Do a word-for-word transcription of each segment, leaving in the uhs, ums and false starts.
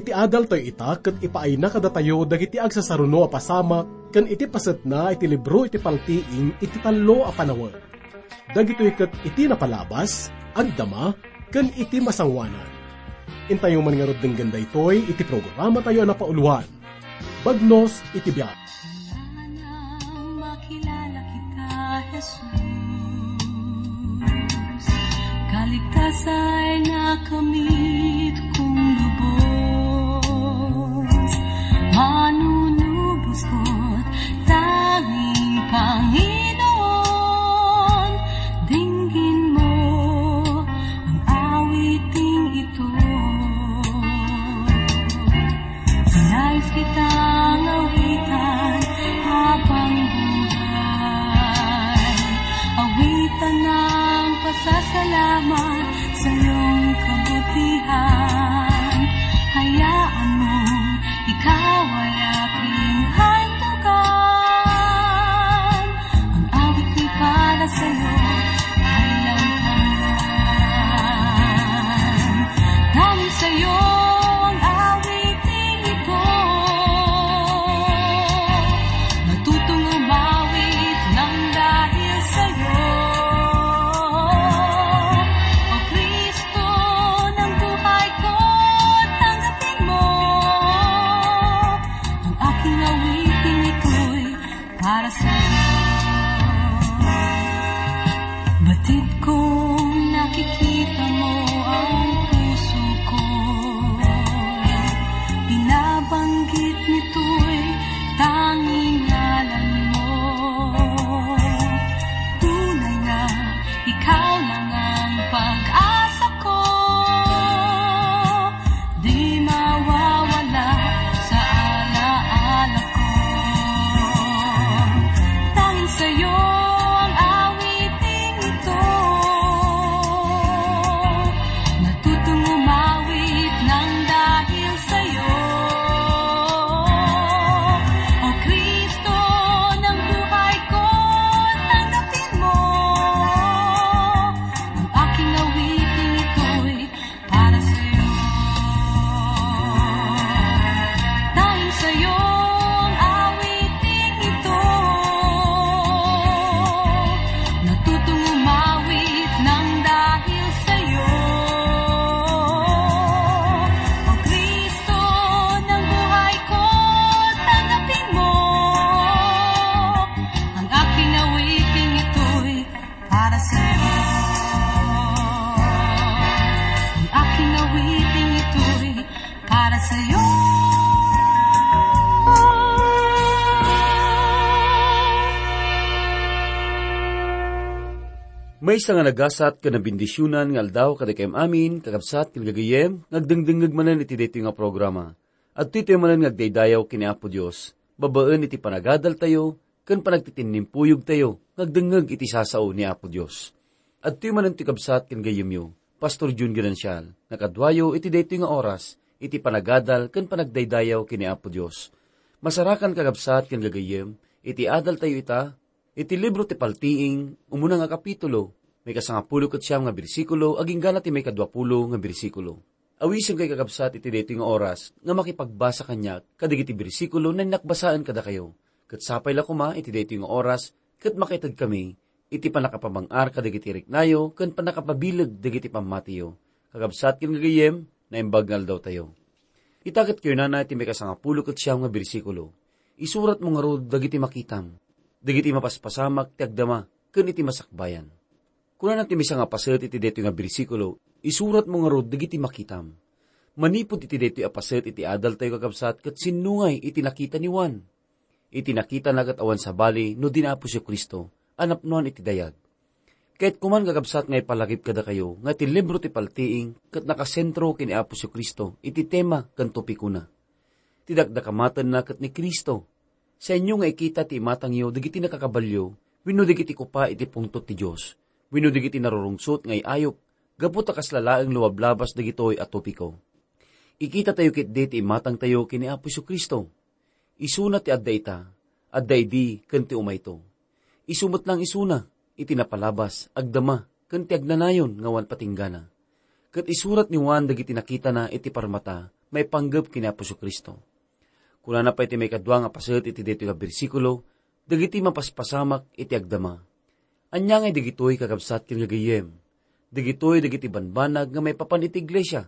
Ti adaltayo ita ket ipaayna kadatayo dagiti agsasaruno a pasamak ken iti pasetna iti libro iti paltiing iti tallo a panawen. Dagitoy ket iti napalabas, agdama, ken iti masangoanan. Intayo man ngarud denggen daytoy iti programatayo a napauloan, Bagnos iti Biag. Kailangan makilala kita, Jesus. Kaligtasay nakamit kong lubos. Manunubos ko't tanging Panginoon. Dinggin mo ang awiting ito. Nais kitang awitan habang buhay. Awitan ng pasasalamat sa iyong kabutihan. Hayaan mo ikaw ay aking handugan. Ang awit ko'y para sa'yo, ay lang hanggan. Dahil sa'yo ang awiting ito. Natutong umawit ng dahil sa'yo. O Kristo ng buhay ko, tanggapin mo. Ang aking awiting ito'y para sa'yo. Batid kong nakikita mo ang puso ko. Binabanggit nito'y tanging ngalan mo. Tunay na ikaw lang ang pag-asa ko. Di mawawala sa alaala ko. Tanging sa'yo ang awiting ito. Natutong umawit ng dahil sa'yo. O Kristo ng buhay ko, tanggapin mo. Ang aking awiting ito'y para sa'yo. Dahil sa'yo ang awiting ito. Natutong umawit ng dahil sa'yo. O Kristo ng buhay ko, tanggapin mo. Ang aking awiting ito'y para sa'yo. Ang aking awiting ito'y para sa'yo. Maysa nga nagasat ken nabendisionan nga aldaw kadagiti amin, kakabsat ken gagayyem, nga agdengdengngeg manen iti daytoy nga programa. Adtoy tayo manen nga agdaydayaw ken ni Apo Dios, babaen iti panagadaltayo ken panagtitinnimpuyogtayo nga agdengngeg iti sasao ni Apo Dios. Adtoy manen ti kabsat ken gayyemyo, Pastor Jun Ganancial, nga kaduayo iti daytoy nga oras, iti panagadal ken panagdaydayaw ken ni Apo Dios. Masarakan, kakabsat ken gagayyem, iti adaltayo ita, iti libro ti Paltiing, umuna nga kapitulo, maikasangapulo ket siam nga bersikulo, agingga ti maikaduapulo nga bersikulo. Awisenkayo, kakabsat, iti daytoy nga oras nga makipagbasa kaniak kadagiti bersikulo nga innak basaen kadakayo. Ket sapay la koma iti daytoy nga oras ket makaitedkami iti pannakapamang-ar kadagiti riknayo ken pannakapabileg dagiti pammatiyo. Kakabsat ken gagayyem, naimbag nga aldawtayo. Ita ket kunana iti maikasangapulo ket siam nga bersikulo, "Isuratmo ngarud dagiti makitam, dagiti mapaspasamak ti agdama ken iti masakbayan." Kunana ti maysa nga paset iti daytoy nga bersikulo, "Isuratmo ngarud dagiti makitam." Manipud iti daytoy a paset iti adaltayo, kakabsat, ket sinnungay iti nakita ni Juan. Iti nakitana ket awan sabali no di ni Apo Jesu-Cristo a napnoan iti dayag. Ket kuman, kakabsat, nga ipalagip kadakayo nga iti libro ti Paltiing ket nakasentro ken ni Apo Jesu-Cristo iti tema ken topikona. Ti dakdakamatenna ket ni Cristo. Saanyo nga ikita ti imatangyo dagiti nakakabalio wenno dagiti kupa iti pungtot ti Dios wenno dagiti narurungsot nga iayup gapu ta kasla laeng luablabas dagitoy a topiko. Ikitatayo ketdi ti imatangtayo ken ni Apo Jesu-Cristo. Isuna ti adda ita, adda idi ken ti umayto. Isu met laeng isuna iti napalabas, agdama, ken ti agnanayon nga awan patinggana. Ket isurat ni Juan dagiti nakitana iti parmata maipanggep ken ni Apo Jesu-Cristo. Kunana pay ti maikadua nga paset iti daytoy nga bersikulo, dagiti mapaspasamak iti agdama. Ania ngay dagitoy, kakabsat ken gagayyem? Dagitoy dagiti banbanag nga maipapan iti iglesia.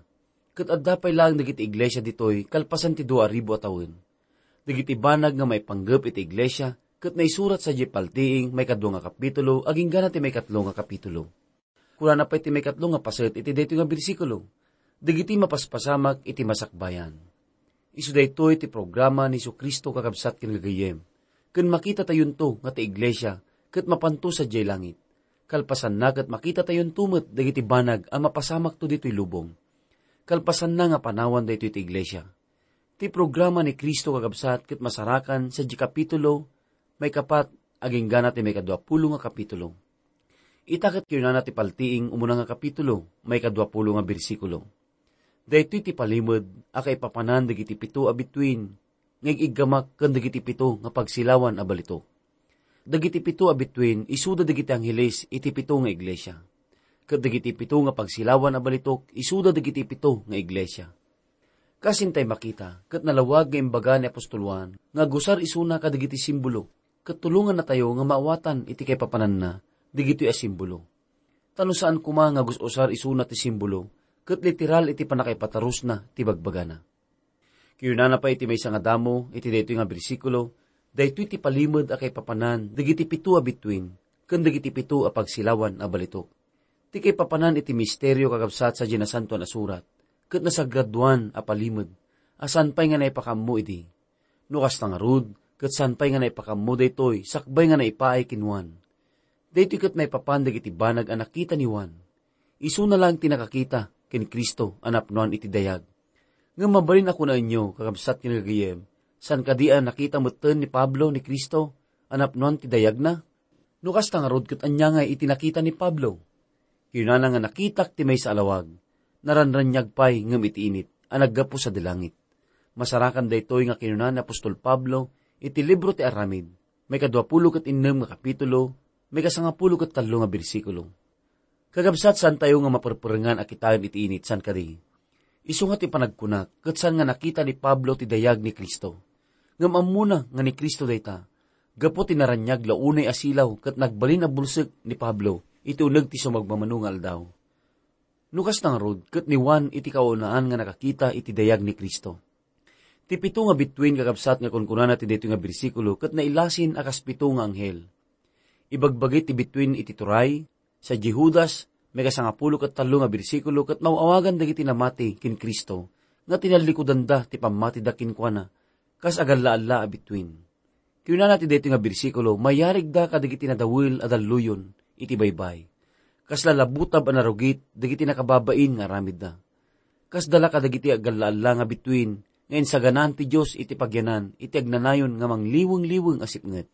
Ket adda pay laeng dagiti iglesia ditoy kalpasan ti dua a ribu a tawen. Dagiti banag nga maipanggep iti iglesia ket naisurat sadiay paltiing maikadua nga kapitulo agingga na ti maikatlo nga kapitulo. Kunana pay ti maikatlo nga paset iti daytoy nga bersikulo, dagiti mapaspasamak iti masakbayan. Isu daytoy ti programa ni Jesu-Cristo, kakabsat ken gagayyem, ken makitatayonto nga ti iglesia ket mapanto sadiay langit. Kalpasanna ket makitatayonto met dagiti banag a mapasamakto ditoy lubong. Kalpasanna nga panawan daytoy ti iglesia. Ti programa ni Cristo, kakabsat, ket masarakan sadiay kapitulo maikapat agingga na ti maikadua pulo nga kapitulo. Ita ket kinunana ti paltiing umuna nga kapitulo, maikadua pulo nga bersikulo, daytoy ti palimed a kaipapanan dagiti pito a bituin nga ig-iggamak ken dagiti pito nga pagsilawan a balitok. Dagiti pito a bituin isuda dagiti angheles iti pito nga iglesia, ket dagiti pito nga pagsilawan a balitok isuda dagiti pito nga iglesia. Kas intay makita, ket nalawag nga imbaga ni apostol Juan nga agusar isuna kadagiti simbolo, ket tulongannatayo nga maawatan iti kaipapananna dagitoy a simbolo. Ta no saan koma nga gus-usar isuna ti simbolo, ket literal iti pannakaipatarusna ti bagbagana. Kinunana pay iti maysa nga damo iti daytoy nga bersikulo, daytoy ti palimed a kaipapanan dagiti pito a bituin ken dagiti pito a pagsilawan a balitok. Ti kaipapanan iti misterio, kakabsat, sadiay Nasantoan a Surat, ket nasagradoan a palimed a saan pay nga naipakaammo idi. No kasta ngarud, ket saan pay nga naipakaammo daytoy sakbay nga naipaay ken Juan. Daytoy ket maipapan dagiti banag a nakita ni Juan. Isuna laeng ti nakakita ken Cristo a napnoan iti dayag. Ngem mabalin a kunaenyo, kakabsat ken gagayyem, saan kadi a nakita metten ni Pablo ni Cristo a napnoan ti dayagna? No kasta ngarud, ket ania ngay iti nakita ni Pablo? Kinunana nga, "Nakitak ti maysa a lawag, naranraniag pay ngem iti init a naggapu sadi langit." Masarakan daytoy nga kinuna ni apostol Pablo iti libro ti Aramid, maikadua pulo ket innem nga kapitulo, maikasangapulo ket tallo nga bersikulo. Kakabsat, saantayo nga maperperengan a kitaen iti init, saan kadi? Isu nga ti panagkunak, ket saan nga nakita ni Pablo ti dayag ni Cristo. Ngem ammona nga ni Cristo dayta, gapu ti naraniag la unay a silaw ket nagbalin a bulsek ni Pablo iti uneg ti sumagmamano nga aldaw. No kasta ngarud, ket ni Juan iti kaunaan nga nakakita iti dayag ni Cristo. Ti pito nga bituin, kakabsat, nga kunkunana ti daytoy nga bersikulo ket nailasin a kas pito nga anghel. Ibagbagi ti bituin iti turay, sadiay Judas, maikasangapulo ket tallo nga bersikulo, ket maw-awagan dagiti namati ken Cristo nga tinallikudanda ti pammatida kenkuana kas agalla-alla a bituin. Kinunana ti daytoy nga bersikulo, mayarigda kadagiti nadawel a dalluyon iti baybay. Kasla labutab a narugit dagiti nakababain nga aramidda. Kasda la kadagiti agalla-alla nga bituin nga insaganaan ti Dios iti pagyanan iti agnanayon nga mangliweng-liweng a sipnget.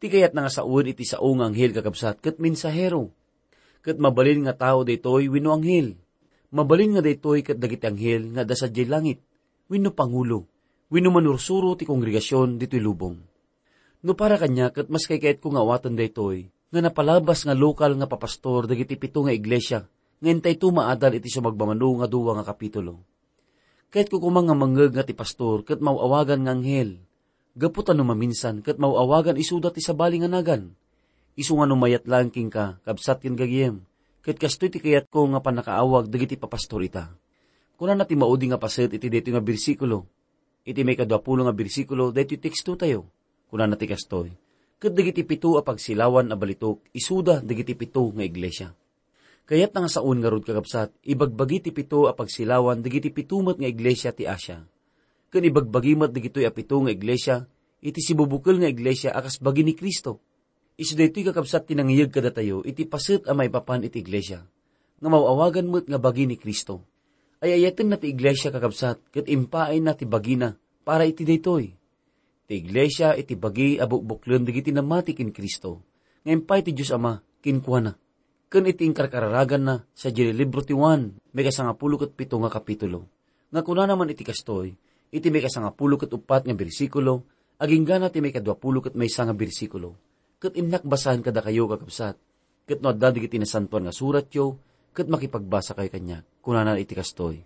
Ti kayatna nga sawen iti sao nga anghel, kakabsat, ket mensahero. Ket mabalin nga tao daytoy wenno anghel. Mabalin nga daytoy ket dagiti anghel nga adda sadiay langit, wenno pangulo, wenno manursuro ti kongregasion ditoy lubong. No para kaniak, ket maski kayatko nga awaten daytoy, nga napalabas nga lokal nga papastor dagiti pito nga iglesia nga intayto maadal iti sumagmamano nga dua nga kapitulo. Kayatko koma nga mangngeg nga ti pastor ket maw-awagan nga anghel, gapu ta no maminsan ket maw-awagan isuda ti sabali nga nagan. Isu nga no mayat laeng kenka, kabsat ken gagayem, ket kastoy ti kayatko nga pannakaawag dagiti papastor ita. Kunana ti maudi nga paset iti daytoy nga bersikulo. Iti maikadua pulo nga bersikulo daytoy tekstotayo, kunana ti kastoy, "Ket dagiti pito a pagsilawan a balitok, isuda dagiti pito nga iglesia." Kayatna nga saon ngarud, kakabsat, ibagbagi ti pito a pagsilawan dagiti pito met nga iglesia ti Asia. Ken ibagbagi met dagitoy a pito nga iglesia iti sibubukel nga iglesia a kas bagi ni Cristo. Isu daytoy, kakabsat, ti nangiyeg kadatayo iti paset a maipapan iti iglesia, nga maw-awagan met nga bagi ni Cristo. Ay-ayatenna ti iglesia, kakabsat, ket impaayna ti bagina para iti daytoy. Ti iglesia iti bagi a bukbuklen dagiti namati ken Cristo, nga impay ti Dios Ama kenkuana, ken iti inkarkararaganna sadiay libro ti Juan, maikasangapulo ket pito nga kapitulo. Nga kunana man iti kastoy, iti maikasangapulo ket uppat nga bersikulo, aginggana ti maikaduapulo ket maysa nga bersikulo. Ket innak basaen kadakayo, kakabsat, ket no adda dagiti Nasantoan nga Suratyo, ket makipagbasakayo kaniak. Kunana iti kastoy,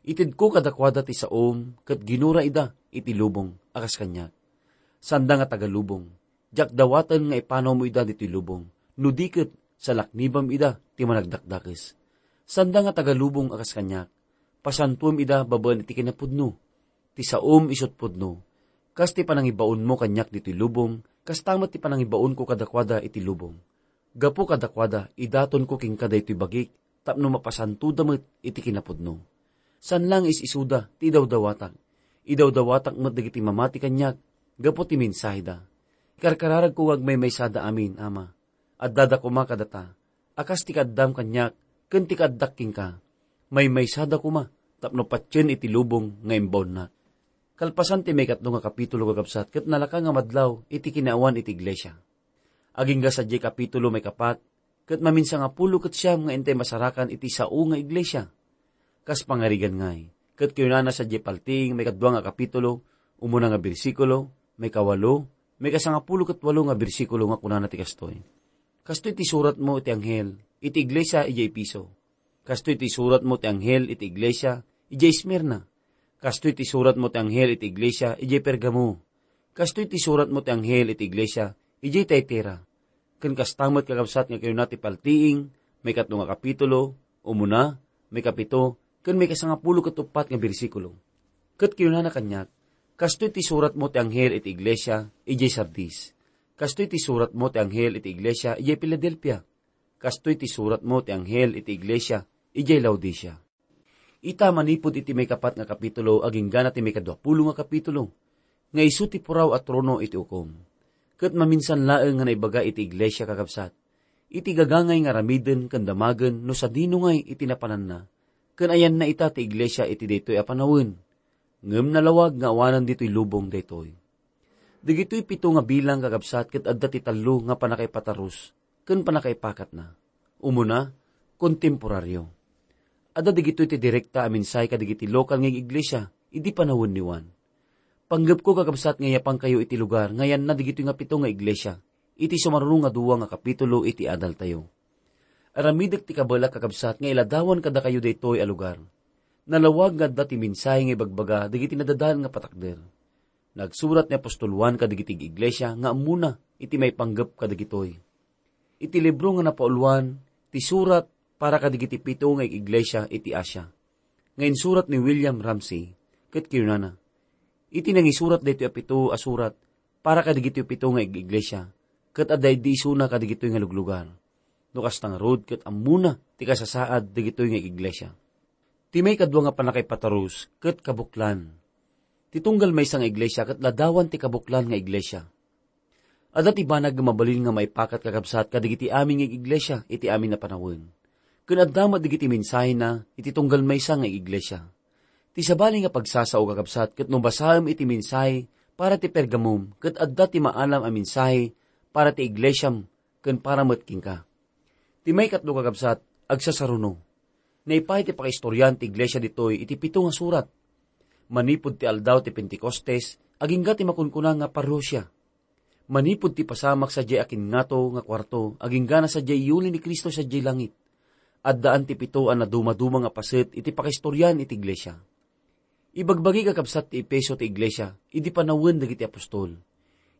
Itedko kadakuada ti saom ket ginura ida iti lubong a kas kaniak. Sanda nga taga-lubong, diak dawaten nga ipanawmo ida ditoy lubong, no di ket salaknibam ida ti managdakdakes. Sanda nga taga-lubong a kas kaniak, pasantuem ida babaen iti kinapudno. Ti saom isu't pudno, kas ti panangibaonmo kaniak ditoy lubong, kasta met ti panangibaonko kadakuada iti lubong. Gapu kadakuada, idatonko kenka daytoy bagik, tapno mapasantoda met iti kinapudno. Saan la nga is-isuda ti idawdawatak. Idawdawatak met dagiti mamati kaniak gapu ti mensaheda. Ikarkararagko nga agmaymaysada amin, Ama. Addada koma kadata, a kas ti kaaddam kaniak ken ti kaaddak kenka. Maymaysada koma tapno patien iti lubong nga imbaonnak. Kalpasan ti maikatlo nga kapitulo, kakabsat, ket nalaka nga madlaw iti kinaawan iti iglesia. Agingga sadiay kapitulo maikapat ket maminsangapulo ket siam nga intay masarakan iti sao nga iglesia. Kas pangarigan ngay, ket kinunana sadiay paltiing maikadua nga kapitulo, umuna nga bersikulo, maikawalo, maikasangapulo ket walo nga bersikulo nga kunana ti kastoy, "Kastoy ti suratmo iti anghel iti iglesia idiay Efeso. Kastoy ti suratmo ti anghel iti iglesia idiay Esmirna. Kastoy ti suratmo ti anghel iti iglesia idiay Pergamo. Kastoy ti suratmo ti anghel iti iglesia idiay Tiatira." Ken kasta met, kakabsat, nga kinuna ti paltiing, maikatlo nga kapitulo, umuna, maikapito, ken maikasangapulo ket uppat nga bersikulo. Ket kinunana kaniak, "Kastoy ti suratmo ti anghel iti iglesia idiay Sardis. Kastoy ti suratmo ti anghel iti iglesia idiay Filadelfia. Kastoy ti suratmo ti anghel iti iglesia idiay Laodicea." Ita, manipud iti maikapat nga kapitulo agingga na ti maikaduapulo nga kapitulo, nga isu ti puraw a trono iti ukom. Ket maminsan laeng nga naibaga iti iglesia, kakabsat, iti gagangay nga aramiden ken damagen no sadino ngay iti napananna, ken ayanna ita ti iglesia iti daytoy a panawen. Ngem nalawag nga awanan ditoy lubong daytoy. Dagitoy pito nga bilang, kakabsat, ket adda ti tallo nga pannakaipatarus ken pannakaipakatna. Umuna, kontemporario. Adda dagitoy ti direkta a mensahe kadagiti lokal nga iglesia idi panawen ni Juan. Panggepko, kakabsat, nga iyapankayo iti lugar nga ayanna dagitoy nga pito nga iglesia iti sumaruno nga dua nga kapitulo iti adaltayo. Aramidek ti kabaelak, kakabsat, nga iladawan kadakayo daytoy a lugar. Nalawag nga adda ti mensahe nga ibagbaga dagiti nadadael nga patakder. Nagsurat ni apostol Juan kadagiti iglesia nga ammona iti maipanggep kadagitoy. Iti libro nga napauluan ti surat para kadagiti pito nga iglesia iti Asia, nga insurat ni William Ramsay, ket kinunana, "Iti nangisurat daytoy a pito a surat para kadagitoy pito nga iglesia, ket adda idi isuna kadagitoy nga luglugar. No kasta ngarud, ket ammona ti kasasaad dagitoy nga iglesia." Ti maikadua nga pannakaipatarus ket kabuklan. Ti tunggal maysa nga iglesia ket ladawan ti kabuklan nga iglesia. Adda ti banag nga mabalin nga maipakat, kakabsat, kadagiti amin nga iglesia iti amin a panawen. Ken adda met dagiti mensahena iti tunggal maysa nga iglesia. Ti sabali nga pagsasao, kakabsat, ket no basaem iti mensahe para ti Pergamum, ket adda ti maalam a mensahe para ti iglesiam ken para met kenka. Ti maikatlo, kakabsat, agsasaruno. Naipaay ti pakaistorian ti iglesia ditoy iti pito nga surat. Manipud ti aldaw ti Pentecostes, agingga ti makunkuna nga parousia. Manipud ti pasamak sadiay akingngato nga kuarto, agingga na sadiay iyuli ni Cristo sadiay langit. Addaan ti pito a nadumaduma nga paset iti pakaistorian iti iglesia. Ibagbagi, kakabsat, ti Efeso ti iglesia idi panawen dagiti apostol.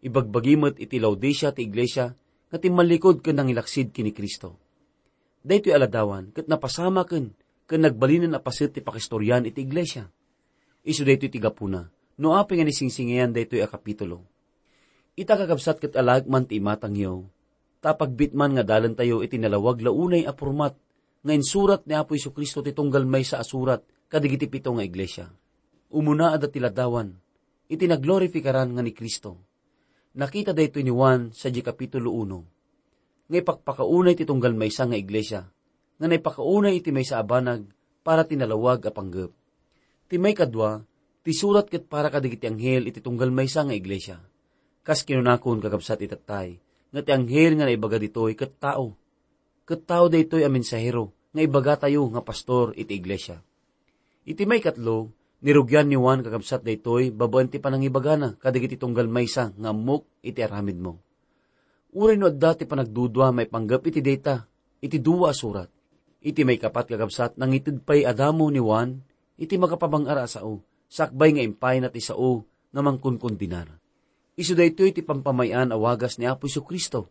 Ibagbagi met iti Laodicea ti iglesia nga timmallikud ken nangilaksid ken ni Cristo. Daytoy a ladawan ket napasamaken ken nagbalinen a paset ti pakaistorian iti iglesia. Isu daytoy ti gapuna no apay nga nisingsingayan daytoy a kapitulo. Ita, kakabsat, ket alaek man ti imatangyo, ta pagbitman nga dalentayo iti nalawag la unay a pormat nga insurat ni Apo Jesu-Cristo ti tunggal maysa a surat kadagiti pito nga iglesia. Umuna, adda ti ladawan iti naglorifikaran nga ni Cristo. Nakita daytoy ni Juan sadiay kapitulo uno, nga ipakpakaunay ti tunggal maysa nga iglesia, nga naipakaunay iti maysa a banag para ti nalawag a panggep. Ti maikadua, ti surat ket para kadagiti anghel iti tunggal maysa nga iglesia. Kas kinunakon, kakabsat, itattay, nga ti anghel nga naibaga ditoy ket tao. Ket tao daytoy a mensahero nga ibagatayo nga pastor iti iglesia. Iti maikatlo, nirugian ni Juan, kakabsat, daytoy babaen ti panangibagana kadagiti tunggal maysa nga ammok iti aramidmo. Uray no adda ti panagdudua maipanggep iti dayta, iti dua a surat. Iti maikapat, kakabsat, nangited pay a damo ni Juan iti makapabang-ar a sao, sakbay nga impayna ti sao nga mangkunkundinar. Isu daytoy ti pampamay-an a wagas ni Apo Jesu-Cristo.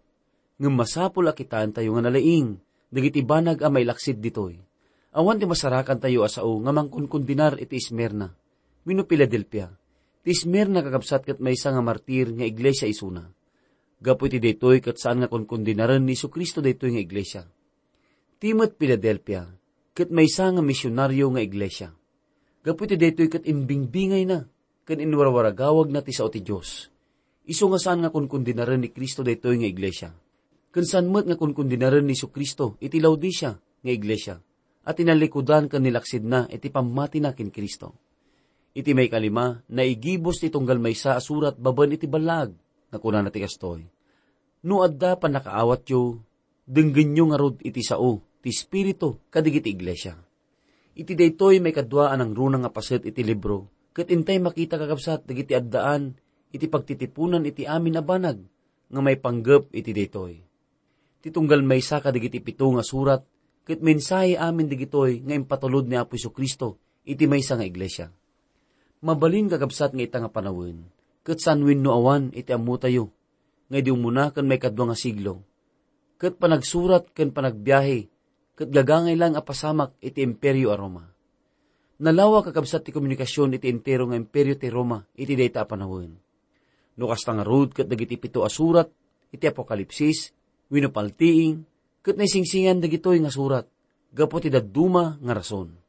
Ngem masapul a kitaentayo nga nalaing dagiti banag a mailaksid ditoy. Awan ti masarakantayo a sao nga mangkunkundinar iti Esmirna wenno Filadelfia. Ti Esmirna, kakabsat, ket maysa nga martir nga iglesia isuna. Gapu iti daytoy ket saan nga kunkundinaren ni Jesu-Cristo daytoy nga iglesia. Ti met Filadelfia ket maysa nga misionario nga iglesia. Gapu iti daytoy ket imbingbingayna ken inwarwaragawagna ti sao ti Dios. Isu nga saan nga kunkundinaren ni Cristo daytoy nga iglesia. Ken saan met nga kunkundinaren ni Jesu-Cristo iti Laodicea nga iglesia a tinallikudan ken nilaksidna iti pammatina ken Cristo. Iti maikalima, naigibus ti tunggal maysa a surat babaen iti ballaag nga kunana ti kastoy, "No adda pannakaawatyo, denggenyo ngarud iti sao ti Espiritu kadagiti iglesia." Iti daytoy maikadua a nangruna nga paset iti libro, ket intay makita, kakabsat, dagiti addaan iti pagtitipunan iti amin a banag nga maipanggep iti daytoy. Ti tunggal maysa kadagiti pito nga surat ket mensahe amin dagitoy nga impatulod ni Apo Jesu-Cristo iti maysa nga iglesia. Mabalin, kakabsat, nga ita nga panawen, ket saan wenno awan iti ammotayo nga idi umuna ken maikadua nga siglo, ket panagsurat ken panagbiahe ket gagangay lang a pasamak iti Imperio a Roma. Nalawag, kakabsat, ti komunikasion iti entero nga Imperio ti Roma iti dayta a panawen. No kasta ngarud ket dagiti pito a surat iti Apokalipsis wenno paltiing ket naisingsingan dagitoy nga surat gapu ti dadduma nga rason.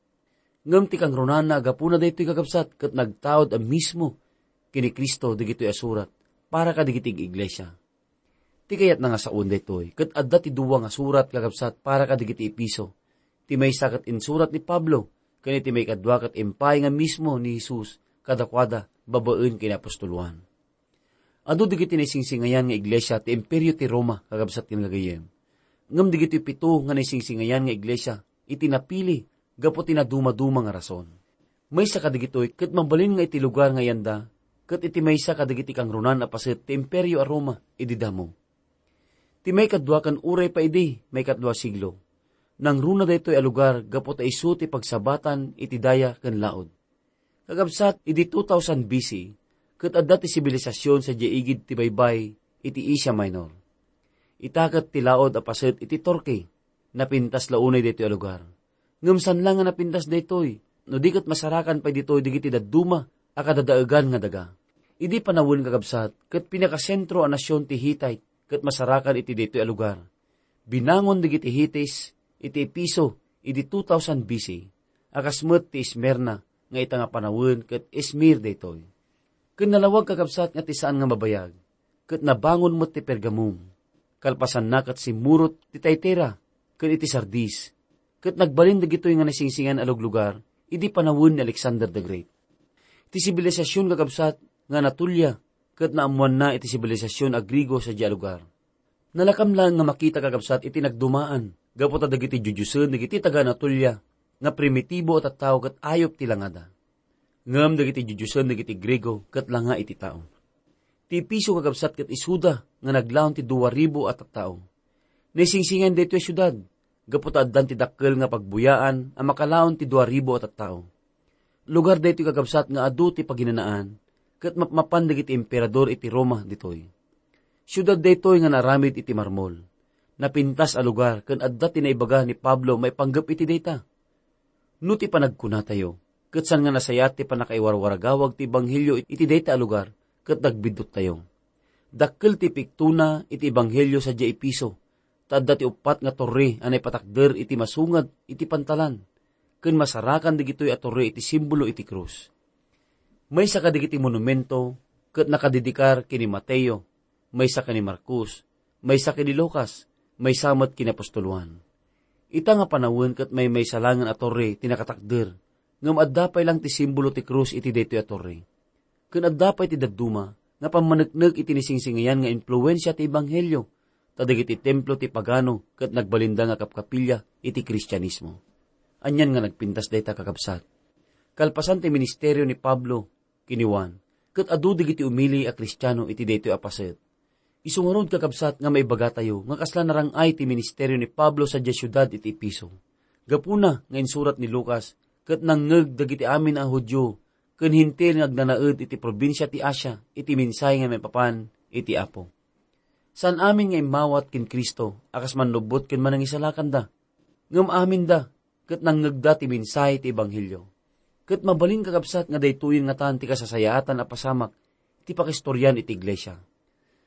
Ngem ti kangrunaan a gapuna daytoy, kakabsat, ket nagtaud a mismo ken ni Cristo dagitoy a surat para kadagiti ig-iglesia. Ti kayatna nga saon daytoy ket adda ti dua nga surat, kakabsat, para kadagiti Efeso. Ti maysa ket insurat ni Pablo, ken iti maikadua ket impay nga mismo ni Jesus kadakuada babaen ken ni apostol Juan. Adu dagiti naisingsingayan nga iglesia ti Imperio ti Roma, kakabsat ken gagayyem. Ngem dagitoy pito nga naisingsingayan nga iglesia iti napili gapu ti nadumaduma nga rason. Maysa kadagitoy ket mabalin nga iti lugar nga iyanda ket iti maysa kadagiti kangrunaan a paset ti Imperio a Roma idi damo. Ti maikadua ken uray pa idi maikatlo a siglo, nangruna daytoy a lugar gapu ta isu ti pagsabatan iti daya ken laod. Kakabsat, idi two thousand B C, ket adda ti sibilisasyon sadiay igid ti baybay iti Asia Minor. Ita ket ti laod a paset iti Turkey, napintas la unay daytoy a lugar. Ngem saan la nga napintas daytoy, no di ket masarakan pay ditoy dagiti dadduma a kadadaegan nga daga. Idi panawen, kakabsat, ket pinakasentro a nasion ti Hittite ket masarakan iti daytoy a lugar. Binangon dagiti Hittite iti Efeso idi two thousand B C, a kas met ti Esmirna nga ita nga panawen ket Esmir daytoy. Ken nalawag, kakabsat, nga ti saan nga mabayag, ket nabangon met ti Pergamum. Kalpasanna ket simmurot ti Tiatira ken iti Sardis, ket nagbalin dagitoy nga naisingsingayan a luglugar idi panawen ni Alexander the Great. Ti sibilisasyon, kakabsat, nga Anatolia ket naammoanna iti sibilisasyon a Griego sadiay a lugar. Nalakam laeng nga makita, kakabsat, iti nagdumaan gapu ta dagiti diodiosen dagiti taga-Anatolia nga primitibo a tattao ket ayup ti langada. Ngem dagiti diodiosen dagiti Griego ket langa iti tao. Ti Efeso, kakabsat, ket isuda nga naglaon ti dua ribu a tattao. Naisingsingayan daytoy a siudad gapu ta addan ti dakkel nga pagbuyaan a makalaon ti dua ribu a tattao. Lugar daytoy, kakabsat, nga adu ti paginanaan ket mapmapan dagiti emperador iti Roma ditoy. Siudad daytoy nga naaramid iti marmol. Napintas a lugar ken adda ti naibaga ni Pablo maipanggep iti dayta. No ti panagkunatayo, ket saan nga nasayaat ti pannakaiwarwaragawag ti ebanghelio iti dayta a lugar ket nagbidduttayo. Dakkel ti piktona iti ebanghelio sadiay Efeso, ta adda ti uppat nga torre a naipatakder iti masungad iti pantalan, ken masarakan dagitoy a torre iti simbolo iti krus. Maysa kadagiti monumento ket nakadedikar ken ni Mateo, maysa ken ni Marcos, maysa ken ni Lucas, maysa met ken ni apostol Juan. Ita nga panawen ket maymaysa laengen a torre ti nakatakder, ngem adda pay laeng ti simbolo ti krus iti daytoy a torre. Ken adda pay ti dadduma nga pammaneknek iti naisingsingayan nga impluensia ti ebanghelio, ta dagiti templo ti pagano ket nagbalinda nga kapkapilya iti Kristianismo. Anian nga nagpintas dayta, kakabsat? Kalpasan ti ministerio ni Pablo ken ni Juan, ket adu dagiti umili a Kristiano iti daytoy a paset. Isu ngarud, kakabsat, nga maibagatayo nga kasla narang-ay ti ministerio ni Pablo sadiay siudad iti Efeso. Gapuna nga insurat ni Lucas ket nangngeg dagiti amin a Judio ken Hentil nga agnanaed iti probinsia ti Asia iti mensahe nga maipapan iti Apo. Saan amin nga immawat ken Cristo a kas mannubbot ken manangisalakanda, ngem aminda ket nangngegda ti mensahe ti ebanghelio. Ket mabalin, kakabsat, nga daytoyen ngatan ti kasasayaatan a pasamak ti pakaistorian iti iglesia.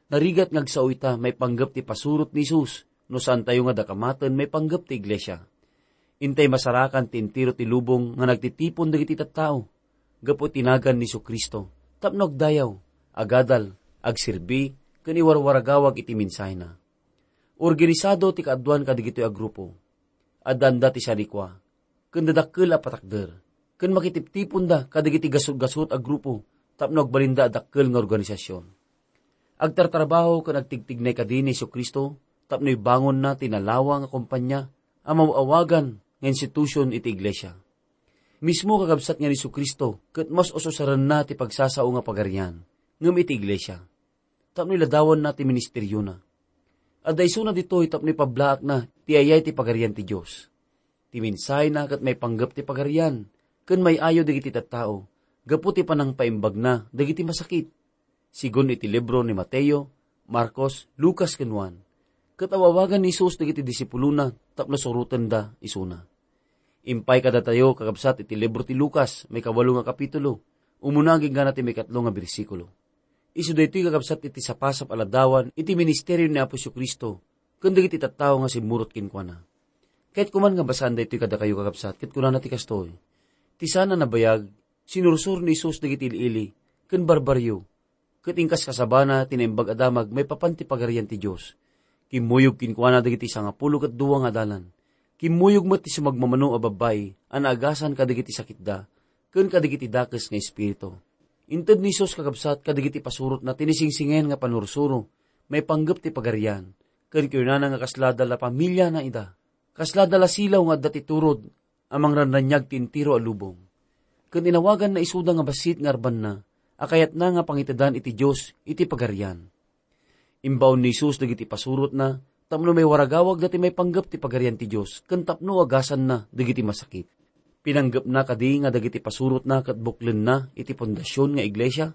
Narigat nga agsao ita maipanggep ti pasurot ni Jesus no saantayo nga dakamaten maipanggep ti iglesia. Intay masarakan ti entero ti lubong nga nagtitipon dagiti tattao gapu iti nagan ni Jesu-Cristo tapno agdayaw, agadal, agserbi, ken iwarwaragawag iti mensahena. Organisado ti kaaduan kadagitoy a grupo. Addaanda ti sanikua, ken dadakkel a patakder, ken makitiptiponda kadagiti gasut-gasut a grupo tapno agbalinda a dakkel nga organisasion. Agtartrabaho ken agtigtignay kadi ni Jesu-Cristo tapno ibangonna ti nalawa nga kompania a maw-awagan nga institusion iti iglesia. Mismo kakabsat nga ni Jesu-Cristo ket mas ususarenna ti pagsasao nga pagarian ngem iti iglesia, tapno iladawanna ti ministeriona. Adda isuna ditoy tapno ipablaakna ti ayay ti Pagarian ti Dios. Ti mensahena ket maipanggep ti Pagarian ken may-ayo dagiti tattao gapu ti panangpaimbagna dagiti masakit, sigun iti libro ni Mateo, Marcos, Lucas, ken Juan. Ket aw-awagan ni Jesus dagiti disipulona tapno surotenda isuna. Impay kadatayo, kakabsat, iti libro ti Lucas, maikawalo nga kapitulo, umuna agingga ti maikatlo nga bersikulo. Isu daytoy, kakabsat, iti sapasap a ladawan iti ministerio ni Apo Jesu-Cristo ken dagiti tattao nga simmurot kenkuana. Kayatko man nga basaan daytoy kadakayo, kakabsat, ket kunana ti kastoy: Ti saan a nabayag, sinursor ni Jesus dagiti ili-ili ken barbarrio, ket inkaskasabana ti Naimbag a Damag maipapan ti Pagarian ti Dios. Kimmuyog kenkuana dagiti sangapulo ket dua nga adalan. Kimmuyog met ti sumagmamano a babbai a naagasan kadagiti sakitda ken kadagiti dakes nga espiritu. Inted ni Jesus, kakabsat, kadagiti pasurotna ti nasingsingen nga panursuro maipanggep ti Pagarian, ken kinunana nga kasla da la pamiliana ida. Kasla da la silaw nga adda ti turod a mangrannaniag ti entero a lubong. Ken inawaganna isuda nga bassit nga arbanna a kayatna nga pangitedan iti Dios iti Pagarian. Imbaon ni Jesus dagiti pasurotna tapno maiwaragawagda ti maipanggep ti Pagarian ti Dios ken tapno agasanna dagiti masakit. Pinanggepna kadi nga dagiti pasurotna ket buklenna iti pundasion nga iglesia?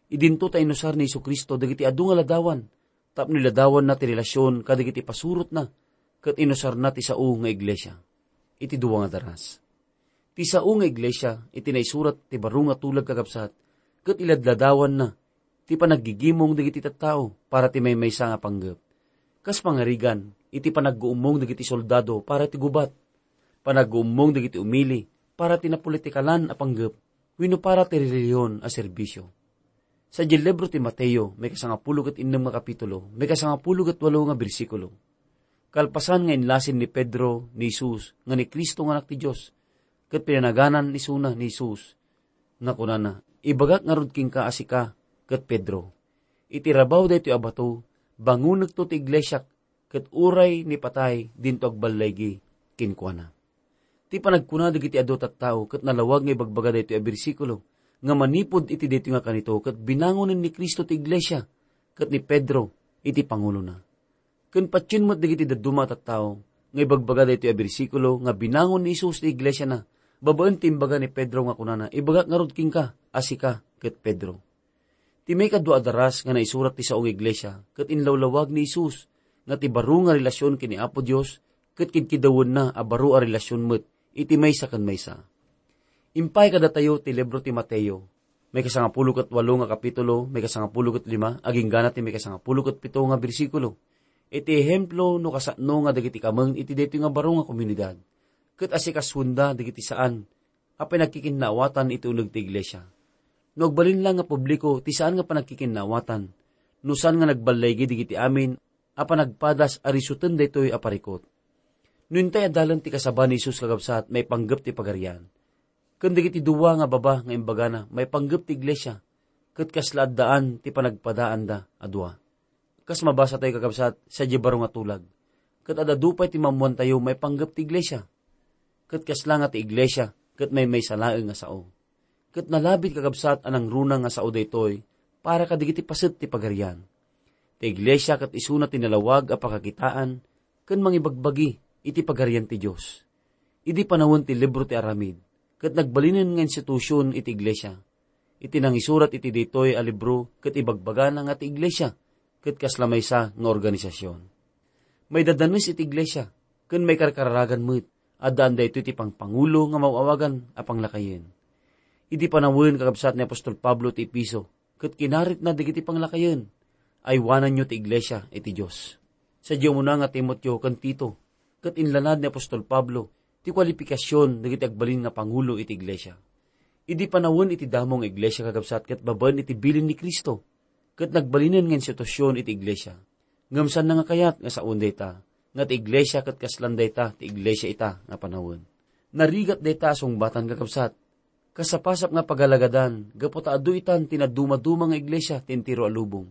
Idinto ta inusar ni Jesu-Cristo dagiti adu nga ladawan tapno iladawanna ti relasion kadagiti pasurotna ket inusarna ti sao nga iglesia. Iti dua nga daras, ti sao nga iglesia iti naisurat ti baro nga tulag, kakabsat, ket iladladawanna ti panaggigimong dagiti tattao para ti maymaysa nga panggep. Kas pangarigan, iti panagguummong dagiti soldado para ti gubat, panagguummong dagiti umili para ti napolitikalan a panggep, wenno para ti relihion a serbisio. Sadiay libro ti Mateo, maikasangapulo ket innem nga kapitulo, maikasangapulo ket walo nga bersikulo. Kalpasan nga inlasin ni Pedro ni Jesus nga ni Cristo nga Anak ti Dios, ket pinanaganan isuna ni Jesus nga kunana, "Ibagak ngarud kenka a sika ket Pedro, iti rabaw daytoy a bato, bangonekto ti iglesiak, ket uray ni patay, dinto agballaygi kenkuana." Ti panagkuna dagiti adu a tattao ket nalawag nga ibagbaga daytoy a bersikulo nga manipud iti daytoy nga kanito ket binangonen ni Cristo ti iglesia ket ni Pedro iti pangulona. Ken patien met dagiti dadduma a tattao nga ibagbaga daytoy a bersikulo nga binangon ni Jesus ti iglesiana babaen ti imbaga ni Pedro nga kunana, "Ibagak ngarud kenka a sika ket Pedro." Ti maikadua a daras nga naisurat ti sao nga iglesia ket inlawlawag ni Jesus nga ti baro nga relasion ken ni Apo Dios ket kidkidawenna a baro a relasion met iti maysa ken maysa. Impay kadatayo ti libro ti Mateo, maikasangapulo ket walo nga kapitulo, maikasangapulo ket lima, aginggana ti maikasangapulo ket pito nga bersikulo, iti ehemplo no kasano nga dagiti kameng iti daytoy nga baro nga komunidad, ket asikasuenda dagiti saan a panagkikinnaawatan iti uneg ti iglesia. No agbalin la nga publiko ti saan nga panagkikinnaawatan, no saan nga nagballaygi dagiti amin a panagpadas a risuten daytoy a parikut. No intay adalen ti kasaba ni Jesus, kakabsat, maipanggep ti Pagarian. Ken dagiti dua nga baba nga imbagana maipanggep ti iglesia, ket kasla addaan ti panagpadaanda a dua. Kas mabasatayo, kakabsat, sadiay baro nga tulag, ket adda dua pay ti maammoantayo maipanggep ti iglesia. Ket kasla nga ti iglesia ket maymaysa laeng nga sao. Ket nalabit, kakabsat, a nangruna nga sao daytoy para kadagiti paset ti Pagarian. Ti iglesia ket isuna ti nalawag a pakakitaan ken mangibagbagi iti Pagarian ti Dios. Idi panawen ti libro ti aramid, ket nagbalinen nga institusion iti iglesia. Iti nangisurat iti daytoy a libro ket ibagbagana nga ti iglesia ket kasla maysa nga organisasion. Maidadanes iti iglesia ken maikarkararagan met, addaan daytoy ti pangpangulo nga maaw-awagan a panglakayen. Idi panawen, kakabsat, ni apostol Pablo ti Efeso ket kinaritna dagiti panglakayen, aywananyo ti iglesia iti Dios. Sadiay umuna nga Timoteo ken Tito, ket inlanad ni apostol Pablo ti kualipikasion dagiti agbalin nga pangulo iti iglesia. Idi panawen iti damo nga iglesia, kakabsat, ket babaen iti bilin ni Cristo, ket nagbalinen nga institusion iti iglesia. Ngem saanna nga kayat nga saoen dayta, nga ti iglesia ket kaslan dayta ti iglesia ita nga panawen. Narigat dayta a sungbatan, kakabsat. Kasapasap nga pagalagadan gapu ta adu itan ti nadumaduma nga iglesia ti entero a lubong,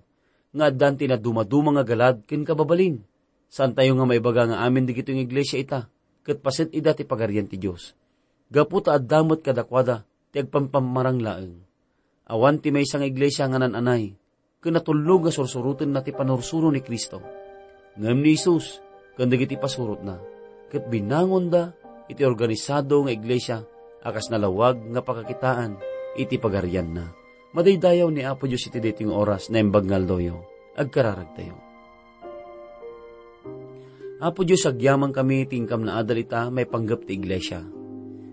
nga addan ti nadumaduma nga galad ken kababalin. Saantayo nga maibaga nga amin dagitoy nga iglesia ita ket paset ida ti Pagarian ti Dios, gapu ta adda met kadakuada ti agpampammarang laeng. Awan ti maysa nga iglesia nga naan-anay ken natulnog nga sursurotenna ti panursuro ni Cristo. Ngem ni Jesus ken dagiti pasurotna ket binangonda iti organisado nga iglesia a kas nalawag nga pakakitaan iti Pagarianna. Madaydayaw ni Apo Dios iti daytoy nga oras, naimbag nga aldoyo. Agkararagtayo. Apo Dios, agyamankami ti inkam naadal ita maipanggep ti iglesia.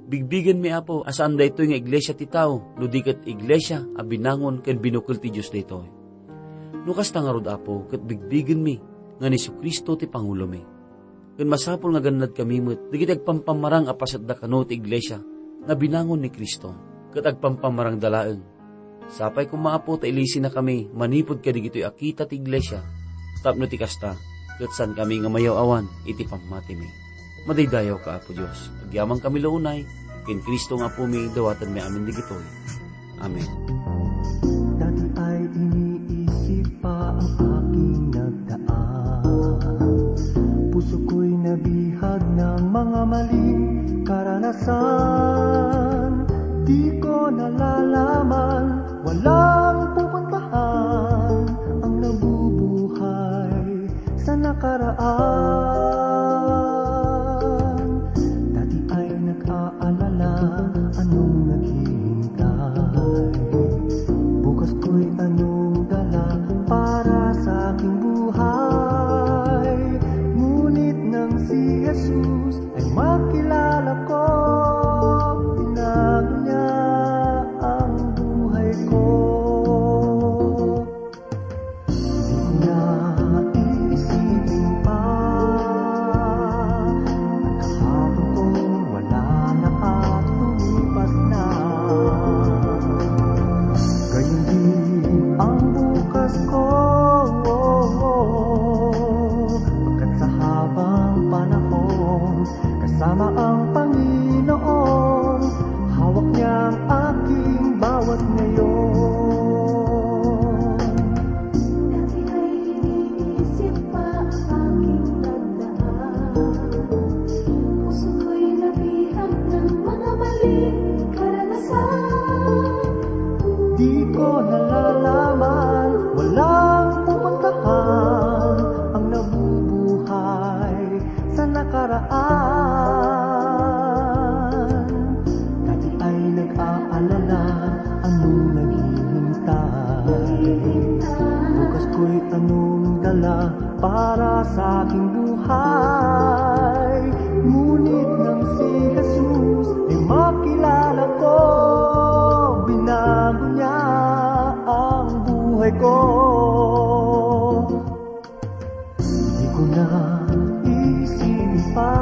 Bigbigenmi, Apo, a saan daytoy nga iglesia ti tao, no di ket iglesia a binangon ken binukel ti Dios daytoy. No kasta ngarud, Apo, ket bigbigenmi nga ni Jesu-Cristo ti pangulomi. Ken masapul nga gannadkami met dagiti agpampammarang a pasetda kano ti iglesia nga binangon ni Cristo, ket agpampammarangda laeng. Sapay koma, Apo, ta ilisinakami manipud kadagitoy a kita ti iglesia, tapno ti kasta, ket saankami nga mayaw-awan iti pammatimi. Madaydayaw ka, Apo Dios, agyamankami la unay, ken Cristo nga Apomi, dawatenmi amin dagitoy. Amen. Dati ay iniisip pa ang aking nagdaan. Puso ko'y nabihag ng mga maling karanasan. Di ko nalalaman, walang pupuntahan ang nabubuhay sa nakaraan. Dati ay nag-aalala anong naghihintay. Bukas ko'y anong dala para sa aking buhay. Ngunit nang si Jesus ay makilala ko, binago niya ang buhay ko. Di ko na iisipin pa ang kahapon kong wala na at lumipas na. Gayon din ang bukas ko, pagkat sa habang panahon, kasama ang Panginoon, hawak niya ang aking bawat ngayon. Dati ay iniisip pa ang aking nagdaan. Puso ko'y nabihag ng mga maling karanasan. Di ko nalalaman, walang pupuntahan ang nabubuhay sa nakaraan. Dati ay nag-aalala, anong naghihintay? Bukas ko'y anong dala para sa aking buhay? Ngunit nang si Jesus ay makilala ko, binago niya ang buhay ko. Di ko na iisipin pa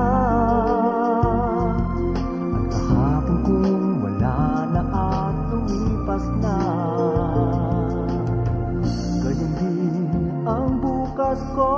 ang kahapon kong wala na at lumipas na. Gayon din ang bukas ko.